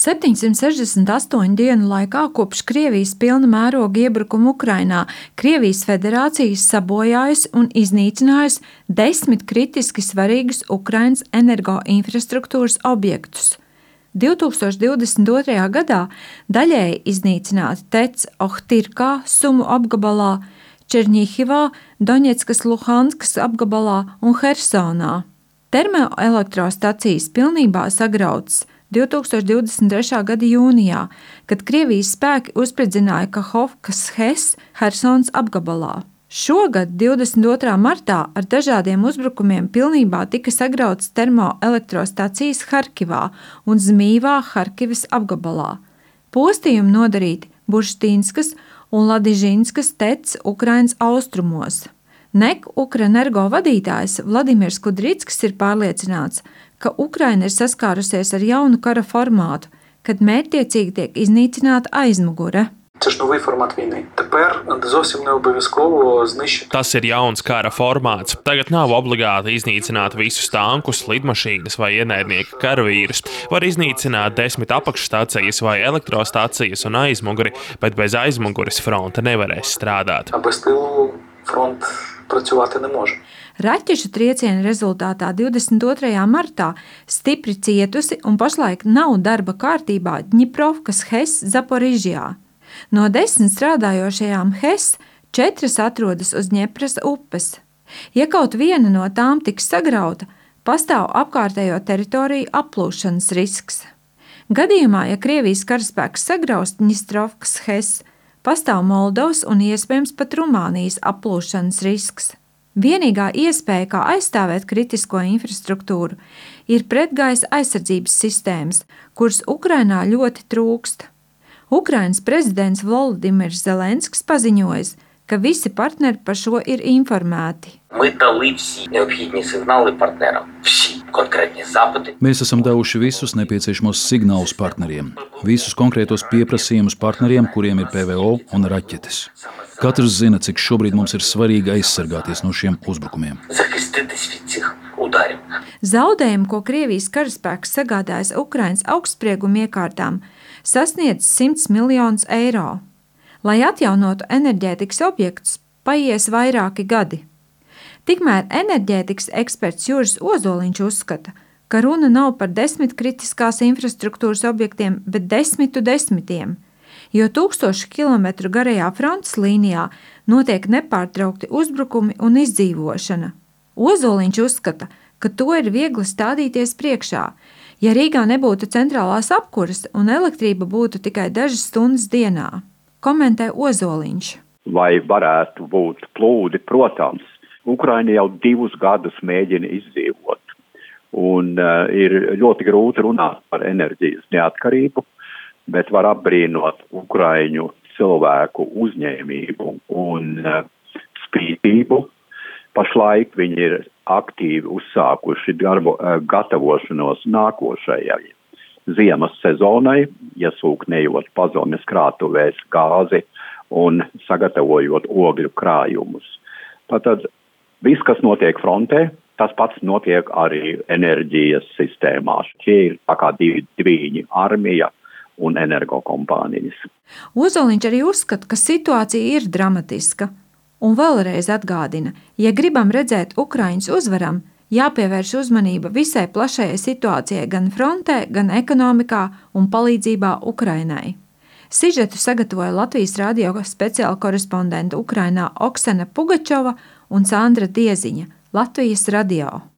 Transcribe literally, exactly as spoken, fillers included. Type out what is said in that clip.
septiņsimt sešdesmit astoņu dienu laikā kopš Krievijas pilna mēroga iebrukuma Ukrainā Krievijas federācija sabojājusi un iznīcinājusi desmit kritiski svarīgus Ukrainas energoinfrastruktūras objektus. divi tūkstoši divdesmit otrajā gadā daļēji iznīcināti T E C Ohtirkā, Sumu apgabalā, Černihivā, Doņetskas, Luhanskas apgabalā un Hersonā. Termoelektrostacijas pilnībā sagrautas divi tūkstoši divdesmit trešā gada jūnijā, kad Krievijas spēki uzspridzināja Kahovkas H E S Hersons apgabalā. Šogad, divdesmit otrā martā, ar dažādiem uzbrukumiem pilnībā tika sagrautas termoelektrostacijas Harkivā un Zmivā Harkivas apgabalā. Postījumi nodarīti Burštīnskas un Ladižinskas T E C Ukrainas austrumos. N E K Ukrenergo vadītājs Vladimirs Kudrickis ir pārliecināts, ka Ukraina ir saskārusies ar jaunu kara formātu, kad mērķtiecīgi tiek iznīcināta aizmugure. Це ж новий формат війни. Тепер зовсім не обов'язково знищити. Tas ir jauns kara formāts. Tagad nav obligāti iznīcināt visus tankus, lidmašīnas vai ienaidnieka karavīrus. Var iznīcināt desmit apakšstācijas vai elektrostācijas un aizmuguri, bet bez aizmugures fronte nevarēs strādāt. А без тилу фронт працювати не може. Raķešu trieciena rezultātā divdesmit otrajā martā stipri cietusi un pašlaik nav darba kārtībā Ņiprovkas H E S Zaporižjā. No desmit strādājošajām H E S četras atrodas uz Ņepras upes. Ja kaut viena no tām tiks sagrauta, pastāv apkārtējo teritoriju aplūšanas risks. Gadījumā, ja Krievijas karaspēks sagraust Ņistrovkas H E S, pastāv Moldovas un iespējams pat Rumānijas aplūšanas risks. Vienīgā iespēja, kā aizstāvēt kritisko infrastruktūru, ir pretgaisa aizsardzības sistēmas, kuras Ukrainā ļoti trūkst. Ukrainas prezidents Volodimirs Zelenskis paziņojis, ka visi partneri par šo ir informēti. Ми дали всі необхідні сигнали партнерам. Всі конкретні запити. Mēs esam devuši visus nepieciešamos signālus partneriem, visus konkrētos pieprasījumus partneriem, kuriem ir P V O un raķetes. Katrs zina, cik šobrīd mums ir svarīgi aizsargāties no šiem uzbrukumiem. Захиститись від цих ударів. Zaudējumi, ko Krievijas karaspēks sagādājas Ukrainas augstsprieguma iekārtām, sasniedz simts miljonus eiro. Lai atjaunotu enerģētikas objektus, paies vairāki gadi. Tikmēr enerģētikas eksperts Juris Ozoliņš uzskata, ka runa nav par desmit kritiskās infrastruktūras objektiem, bet desmitu desmitiem, jo tūkstošu kilometru garajā frontes līnijā notiek nepārtraukti uzbrukumi un izdzīvošana. Ozoliņš uzskata, ka to ir viegli stādīties priekšā, ja Rīgā nebūtu centrālās apkuras un elektrība būtu tikai dažas stundas dienā. Komentē Ozoliņš. Vai varētu būt plūdi? Protams, Ukraina jau divus gadus mēģina izdzīvot, un uh, ir ļoti grūti runāt par enerģijas neatkarību, bet var apbrīnot Ukraiņu cilvēku uzņēmību un uh, spītību. Pašlaik viņi ir aktīvi uzsākuši darbu, uh, gatavošanos nākošajai ziemas sezonai, iesūknējot pazemes krātuvēs gāzi un sagatavojot ogļu krājumus. Tātad viss, kas notiek frontē, tas pats notiek arī enerģijas sistēmās. Šie ir tā kā divi dviņi - armija un energokompānijas. Ozoliņš arī uzskata, ka situācija ir dramatiska. Un vēlreiz atgādina, ja gribam redzēt Ukraiņas uzvaram, jāpievērš uzmanība visai plašajai situācijai gan frontē, gan ekonomikā un palīdzībā Ukrainai. Sižetu sagatavoja Latvijas radio speciāla korespondente Ukrainā Oksana Pugačova un Sandra Dieziņa, Latvijas radio.